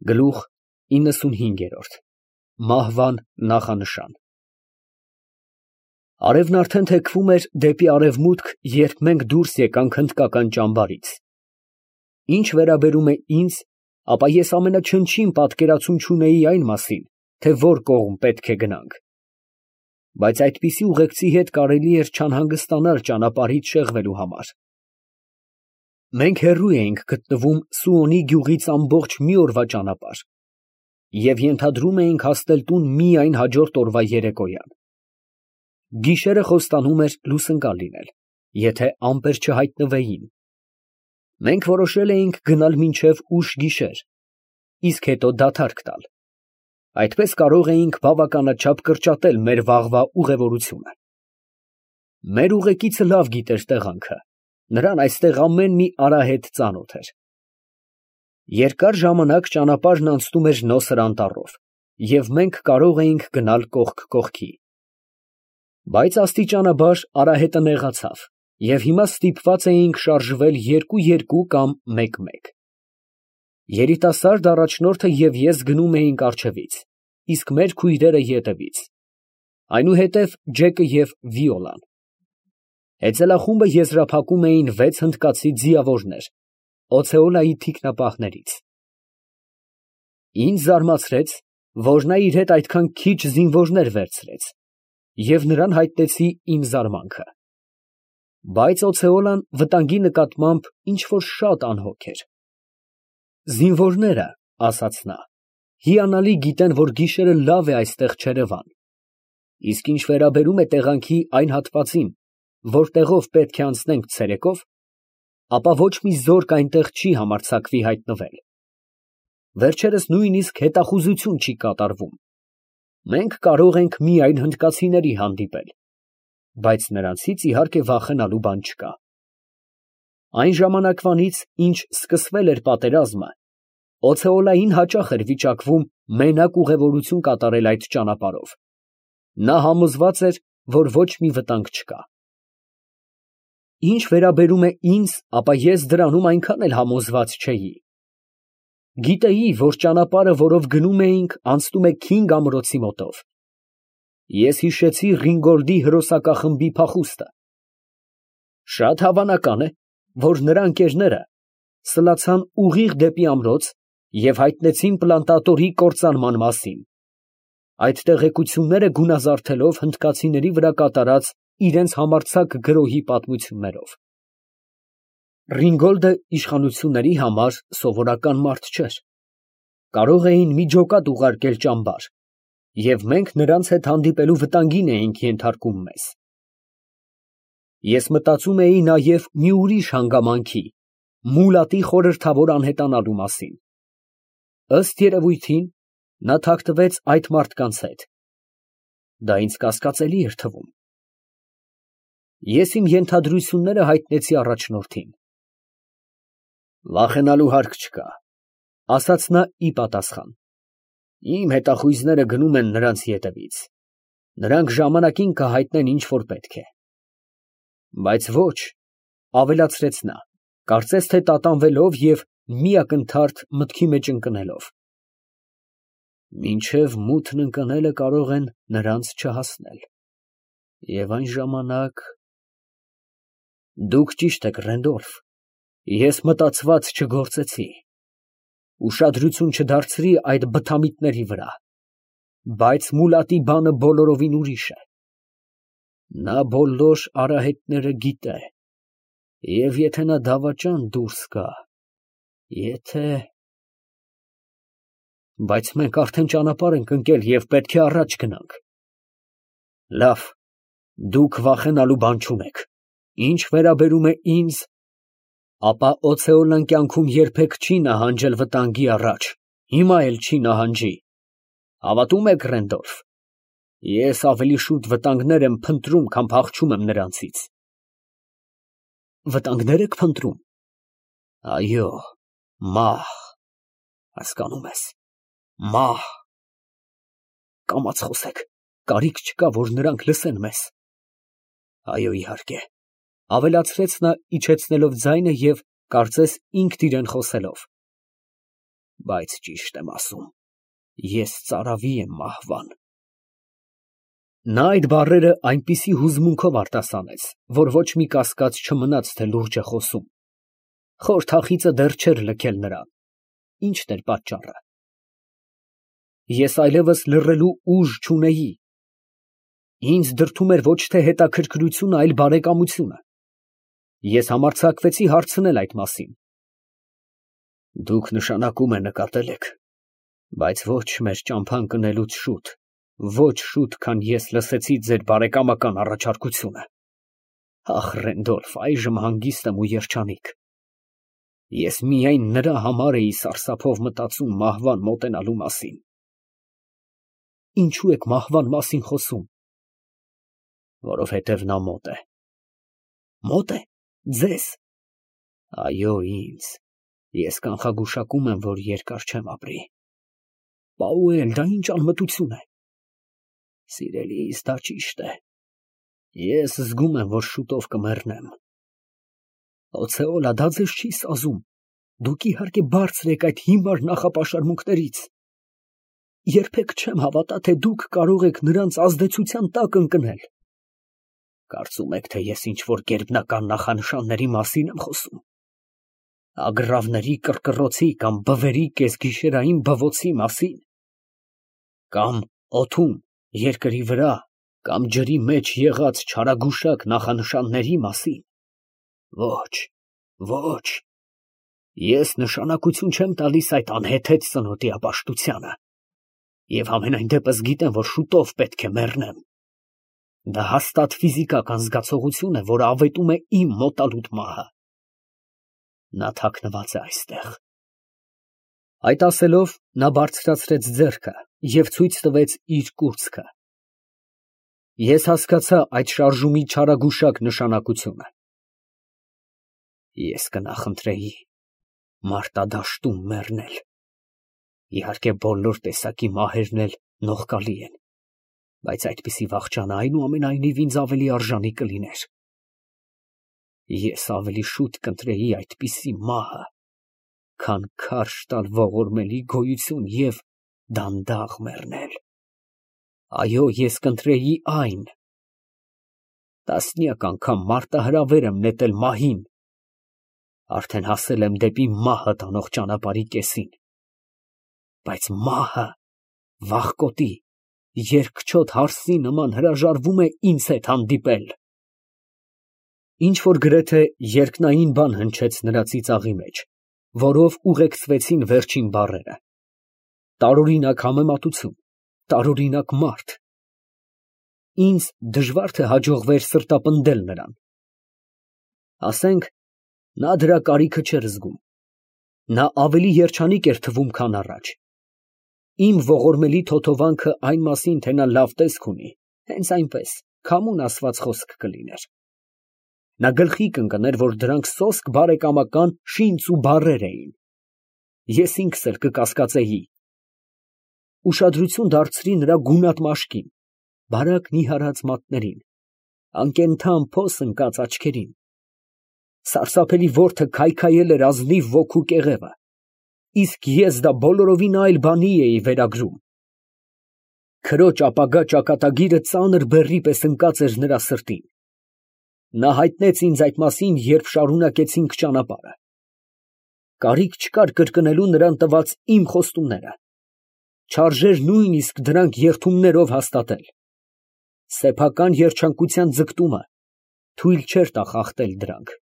Գլուխ 95 Մահվան նախանշան։ Արևն արդեն թեքվում էր դեպի արևմուտք, երբ մենք դուրս եկանք հնդկական ճամբարից։ Ինչ վերաբերում է ինձ, ապա ես ամենաչնչին պատկերացում չունեի այն մասին, թե որ կողմ պետք է գնանք։ Բայց այդպիսի ուղեկցի հետ կարելի էր չանհանգստանալ ճանապարհից շեղվելու համար։ Մենք հեռու էինք գտնվում Սուոնի գյուղից ամբողջ մի օրվա ճանապարհ և ենթադրում էինք հասնել տուն միայն հաջորդ օրվա երեկոյան։ Գիշերը խոստանում էր լուսընկալ լինել, եթե ամպեր չհայտնվեին։ Մենք որոշել էինք գնալ մինչև ուշ գիշեր, իսկ հետո դադարք տալ։ Այդպես կարող էինք բավականաչափ կրճատել մեր վաղվա ուղևորությունը։ Մեր ուղեկիցը լավ գիտեր տեղանքը, նրան այստեղ ամեն մի արահետ ծանոթ էր։ Երկար ժամանակ ճանապարհն անցնում էր նոսր անտառով, և մենք կարող էինք գնալ կողք կողքի։ Բայց աստիճանաբար արահետը նեղացավ, և հիմա ստիպված էինք շարժվել 2-2 կամ 1-1։ Երիտասարդ առաջնորդը և ես գնում էինք առջևից, իսկ մեր քույրերը ետևից, այնուհետև Ջեկը և Վիոլան։ Հեծելախումբը եզրափակում էին 6 հնդկացի ձիավորներ Օցեոլայի թիկնապահներից։ Ինձ զարմացրեց, որ նա իր հետ այդքան քիչ զինվորներ վերցրեց, և նրան հայտնեցի իմ զարմանքը։ Բայց Օցեոլան վտանգի նկատմամբ ինչ֊որ շատ անհոգ էր։ Զինվորները, ասաց նա, հիանալի գիտեն, որ գիշերը լավ է այստեղ չերևան, իսկ ինչ վերաբերում է տեղանքի այն հատվածին, որտեղով պետք է անցնենք ցերեկով, ապա ոչ մի զորք այնտեղ չի համարձակվի հայտնվել։ Վերջերս նույնիսկ հետախուզություն չի կատարվում։ Մենք կարող ենք միայն հնդկացիների հանդիպել, բայց նրանցից իհարկե վախենալու բան չկա։ Այն ժամանակվանից, ինչ սկսվել էր պատերազմը, Օցեոլային հաճախ էր վիճակվում մենակ ուղևորություն կատարել այդ ճանապարհով։ Նա համոզված էր, որ ոչ մի վտանգ չկա։ Ինչ վերաբերում է ինձ, ապա ես դրանում այնքան էլ համոզված չէի։ Գիտեի, որ ճանապարհը, որով գնում էինք, անցնում է Քինգ ամրոցի մոտով։ Ես հիշեցի Ռինգոլդի հրոսակախմբի փախուստը։ Շատ հավանական է, որ նրա ընկերները սլացան ուղիղ դեպի ամրոց և հայտնեցին պլանտատորի կործանման մասին, այդ տեղեկությունները գունազարդելով հնդկացիների վրա կատարած իրենց համարձակ գրոհի պատմություններով։ Ռինգոլդը իշխանությունների համար սովորական մարդ չէր։ Կարող էին մի ջոկատ ուղարկել ճամբար, և մենք նրանց հետ հանդիպելու վտանգին էինք ենթարկում մեզ։ Ես մտածում էի նաև մի ուրիշ հանգամանքի՝ Մուլատի խորհրդավոր անհետանալու մասին։ Ըստ երևույթին, նա թաքնվեց այդ մարդկանց հետ։ Դա ինձ կասկածելի էր թվում։ Ես իմ ենթադրությունները հայտնեցի առաջնորդին։ Վախենալու հարկ չկա, ասաց նա ի պատասխան։ Իմ հետախույզները գնում են նրանց ետևից։ Նրանք ժամանակին կհայտնեն, ինչ որ պետք է։ Բայց ոչ, ավելացրեց նա, կարծես թե տատանվելով և մի ակնթարթ մտքի մեջ ընկնելով, մինչև մութն ընկնելը կարող են նրանց չհասնել։ Եվ այն ժամանակ… Դուք ճիշտ եք, Ռենդոլֆ, ես մտածված չգործեցի, ուշադրություն չդարձրի այդ բթամիտների վրա, բայց Մուլատի բանը բոլորովին ուրիշ է։ Նա բոլոր արահետները գիտե, և եթե նա դավաճան դուրս գա, Բայց մենք արդեն ճանապարհ ենք ընկել և պետք է առաջ գնանք։ Լավ, դուք վախենալու բան չունեք։ Ինչ վերաբերում է ինձ, ապա Օցեոլան կյանքում երբեք չի նահանջել վտանգի առաջ, հիմա էլ չի նահանջի։ Հավատո՞ւմ եք, Ռենդոլֆ, ես ավելի շուտ վտանգներ եմ փնտրում, քան փախչում եմ նրանցից։ Վտանգնե՞ր եք փնտրում։ Այո, մահ, հասկանում ես, մահ։ Կամաց խոսեք, կարիք չկա, որ նրանք լսեն մեզ։ Այո, իհարկե, ավելացրեց նա իջեցնելով ձայնը և կարծես ինքն իրան խոսելով։ Բայց ճիշտ եմ ասում, ես ծարավի եմ մահվան։ Նա այդ բառերը այնպիսի հուզմունքով արտասանեց, որ ոչ մի կասկած չմնաց, թե լուրջ է խոսում։ Խոր թախիծը դեռ չէր լքել նրան։ Ի՞նչն էր պատճառը։ Ես այլևս լռելու ուժ չունեի։ Ինձ դրդում էր ոչ թե հետաքրքրությունը, այլ բարեկամությունը։ Ես համարձակվեցի հարցնել այդ մասին։ Դուք նշանակում է նկատել եք, բայց ոչ մեր ճամփան կնելուց շուտ, ոչ շուտ, քան ես լսեցի ձեր բարեկամական առաջարկությունը։ Ախ, Ռենդոլֆ, այժմ հանգիստ եմ ու երջանիկ։ Ես միայն նրա համար էի սարսափով մտածում մահվան մոտենալու մասին։ Ինչու եք մահվան մասին խոսում։ Որովհետև նա մոտ է։ Մոտ է։ Ձեզ։ Այո, ինձ։ Ես կանխագուշակում եմ, որ երկար չեմ ապրի։ Պաուել, դա ինչ անմտություն է։ Սիրելիս, դա ճիշտ է։ Ես զգում եմ, որ շուտով կմեռնեմ։ Օցեոլա, դա ձեզ չի սազում։ Դուք իհարկե բարձր եք այդ հիմար նախապաշարմունքներից։ Երբեք չեմ հավատա, թե դուք կարող եք նրանց ազդեցության տակ ընկնել։ Կարծում եք, թե ես ինչ-որ գերբնական նախանշանների մասին եմ խոսում։ Ագռավների կռկռոցի կամ բվերի կեսգիշերային բվոցի մասին։ Կամ օդում, երկրի վրա, կամ ջրի մեջ եղած չարագուշակ նախանշանների մասին։ Ոչ, ոչ։ Ես նշանակություն չեմ տալիս այդ անհեթեթ ծնոտի ապաշտությանը։ Եվ համենայն դեպս գիտեմ, որ շուտով պետք է մեռնեմ։ Դա հաստատ ֆիզիկական զգացողություն է, որ ավետում է իմ մոտալուտ մահը։ Նա թաքնված է այստեղ։ Այդ ասելով, նա բարձրացրեց ձեռքը և ցույց տվեց իր կուրծքը։ Ես հասկացա այդ շարժումի չարագուշակ նշանակությունը։ Ես կնախընտրեի մարտադաշտում մեռնել։ Իհարկե, բոլոր տեսակի մահերն էլ նողկալի են, բայց այդպիսի վախճանը այնուամենայնիվ ինձ ավելի արժանի կլիներ։ Ես ավելի շուտ կընտրեի այդպիսի մահը, քան քարշ տալ ողորմելի գոյություն և դանդաղ մեռնել։ Այո, ես կընտրեի այն։ Տասնյակ անգամ մարտահրավեր եմ նետել մահին։ Արդեն հասել եմ դեպի մահը տանող ճանապարհի կեսին։ Բայց մահը, վախկոտի, երկչոտ հարսի նման հրաժարվում է ինձ հետ հանդիպել։ Ինչ-որ գրեթե երկնային բան հնչեց նրա ծիծաղի մեջ, որով ուղեկցվեցին վերջին բառերը։ Տարօրինակ համեմատություն, տարօրինակ մարդ։ Ինձ դժվար թե հաջողվեր սրտապնդել նրան։ Ասենք, նա դրա կարիքը չէր զգում։ Նա ավելի երջանիկ էր թվում, քան առաջ։ Իմ ողորմելի թոթովանքը այն մասին, թե նա լավ տեսք ունի, հենց այնպես, քամուն ասված խոսք կլիներ։ Նա գլխի կընկներ, որ դրանք սոսկ բարեկամական շինծ ու բառեր էին։ Ես ինքս էլ կկասկածեի։ Ուշադրություն դարձրի նրա գունատ մաշկին, բարակ նիհարած մատներին, անկենդան փոս ընկած աչքերին։ Սարսափելի որդը քայքայել էր ազնիվ ոգու կեղևը, իսկ ես դա բոլորովին այլ բանի էի վերագրում։ Քրոջ ապագա ճակատագիրը ծանր բեռի պես ընկած էր նրա սրտին։ Նա հայտնեց ինձ այդ մասին, երբ շարունակեցինք ճանապարհը։ Կարիք չկար կրկնելու նրան տված իմ խոստումները։ Չարժեր նույնիսկ դրանք երդումներով հաստատել։ Սեփական երջանկության ձգտումը թույլ չէր տա խախտել դրանք։